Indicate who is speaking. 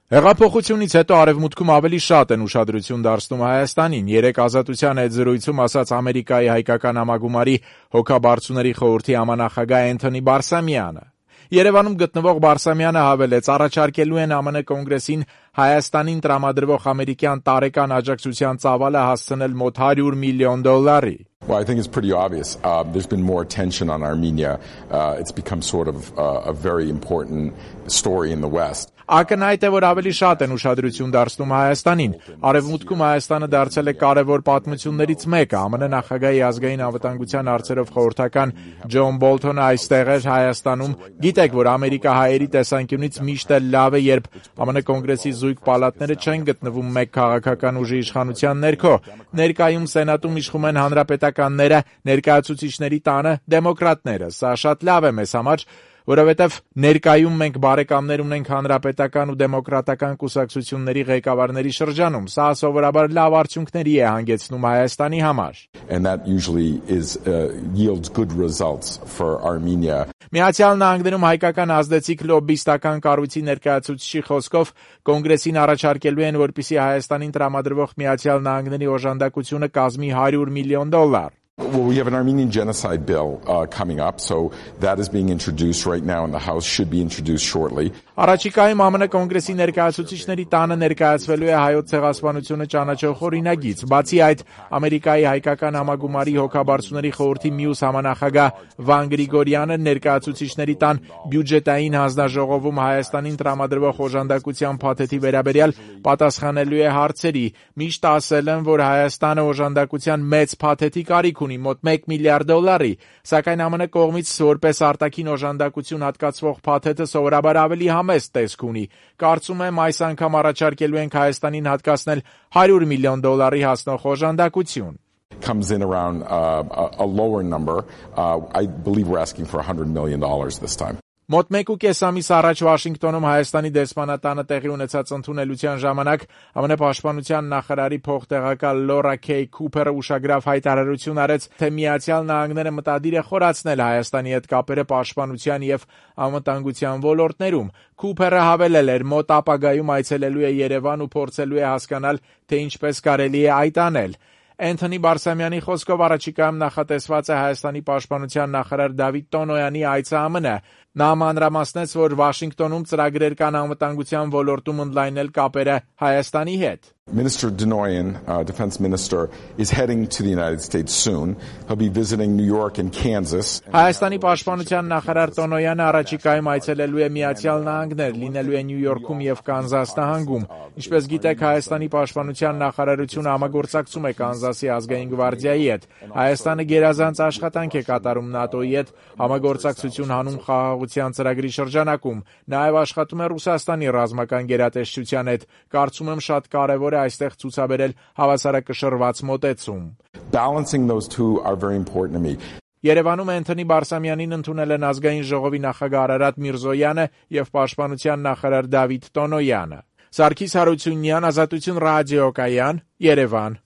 Speaker 1: Հեղափոխությունից հետո արևմուտքում ավելի շատ են ուշադրություն դարձնում Հայաստանին, երեկ Ազատության հետ զրույցում ասաց Ամերիկայի հայկական համագումարի հոգաբարձուների խորհրդի համանախագահ Էնթոնի Բարսամյանը։ Երևանում գտնվող Բարսամյանը հավելեց, առաջարկելու են ԱՄՆ կոնգրեսին Հայաստանին տրամադրվող ամերիկյան տարեկան աջակցության ծավալը հասցնել մոտ $100 միլիոն։
Speaker 2: Well, I think it's pretty obvious. There's been more attention on Armenia. It's become sort of a very important story in the West.
Speaker 1: Ակնհայտ է, որ ավելի շատ են ուշադրություն դարձնում Հայաստանին։ Արևմուտքում Հայաստանը դարձել է կարևոր պատմություններից մեկը։ ԱՄՆ նախագահի ազգային անվտանգության հարցերով խորհրդական Ջոն Բոլթոնը այստեղ էր Հայաստանում։ Գիտեք, որ ամերիկահայերի տեսանկյունից միշտ էլ լավ է, երբ ԱՄՆ կոնգրեսի զույգ պալատները չեն գտնվում մեկ քաղաքական ուժի իշխանության ներքո։ Ներկայում Սենատում իշխում են հանրապետականները, ներկայացուցիչների տանը դեմոկրատները։ Սա շատ լավ է մեզ համար, որովհետև ներկայում մենք բարեկամներ ունենք հանրապետական ու դեմոկրատական կուսակցությունների ղեկավարների շրջանում։ Սա սովորաբար լավ արդյունքների է հանգեցնում Հայաստանի համար։
Speaker 2: And that usually yields good results for Armenia.
Speaker 1: Միացյալ Նահանգներում հայկական ազդեցիկ լոբբիստական կառույցի ներկայացուցիչի խոսքով կոնգրեսին առաջարկելու են, որպեսզի Հայաստանին տրամադրվող Միացյալ Նահանգների օժանդակությունը կազմի $100 միլիոն։
Speaker 2: Well, we have an Armenian genocide bill coming up, so that is being introduced right now in the House, should be introduced shortly.
Speaker 1: Առաջիկայում ԱՄՆ կոնգրեսի ներկայացուցիչների տանը ներկայացվելու է հայոց ցեղասպանությունը ճանաչող օրինագիծ։ Բացի այդ, Ամերիկայի հայկական համագումարի հոգաբարձուների խորհրդի մյուս համանախագահ Վան Գրիգորյանը ներկայացուցիչների տան բյուջետային հանձնաժողովում Հայաստանին տրամադրվող օժանդակության փաթեթի վերաբերյալ պատասխանելու է հարցերի։ Միշտ ասել են, որ Հայաստանը օժանդակության մեծ փաթեթի կարիք ունի, մոտ $1 միլիարդ, սակայն ԱՄՆ կողմից որպես արտաքին օժանդակություն հատկացվող փաթեթը սովորաբար ավելի համեստ տեսք ունի։ Կարծում եմ այս անգամ առաջարկելու ենք Հայաստանին հատկացնել $100 միլիոն հասնող օժանդակություն։
Speaker 2: Comes in around a lower number. I believe we're asking for $100 million this time.
Speaker 1: Մոտ 1.5 ամիս առաջ Վաշինգտոնում Հայաստանի դեսպանատանը տեղի ունեցած ընդունելության ժամանակ ԱՄՆ պաշտպանության նախարարի փոխտեղակալ Լորա Քեյ Քուփերը ուշագրավ հայտարարություն արեց, թե Միացյալ Նահանգները մտադիր է խորացնել Հայաստանի հետ կապերը պաշտպանության եւ անվտանգության ոլորտներում։ Քուփերը հավելել էր, մոտ ապագայում այցելելու է Երևան ու փորձելու է հասկանալ, թե ինչպես կարելի է այդ անել։ Էնթոնի Բարսամյանի խոսքով առաջիկայում նախատեսված է Հայաստանի պաշտպանության նախարար Դավիթ Տոնոյանի այցը ԱՄՆ։ Նա մանրամասնեց, որ Վաշինգտոնում ծրագրեր կան անվտանգության ոլորտում ընդլայնել կապերը Հայաստանի հետ։
Speaker 2: Minister Denoyan, Defense Minister, is heading to the United States soon. He'll be visiting New York and Kansas.
Speaker 1: Հայաստանի պաշտպանության նախարար Տոնոյանը առաջիկայում այցելելու է Միացյալ Նահանգներ, լինելու է Նյու Յորքում եւ Կանզաս նահանգում։ Ինչպես գիտեք, Հայաստանի պաշտպանության նախարարությունը համագործակցում է Կանզասի ազգային գվարդիայի հետ։ Հայաստանը գերազանց աշխատանք է կատարում ՆԱՏՕ-ի հետ համագործակցություն հանում խաղաղության ծրագրի շրջանակում։ Նաեւ աշխատում է Ռուսաստանի ռազմական գերատեսչության հետ։ Կարծում եմ շատ կարեւոր այստեղ ցուցաբերել հավասարակշռված մոտեցում։
Speaker 2: Balancing those two are very important to me.
Speaker 1: Երևանում Էնթոնի Բարսամյանին ընդունել են ազգային ժողովի նախագահ Արարատ Միրզոյանը եւ պաշտպանության նախարար Դավիթ Տոնոյանը։ Սարգիս Հարությունյան, Ազատություն ռադիոկայան, Երևան։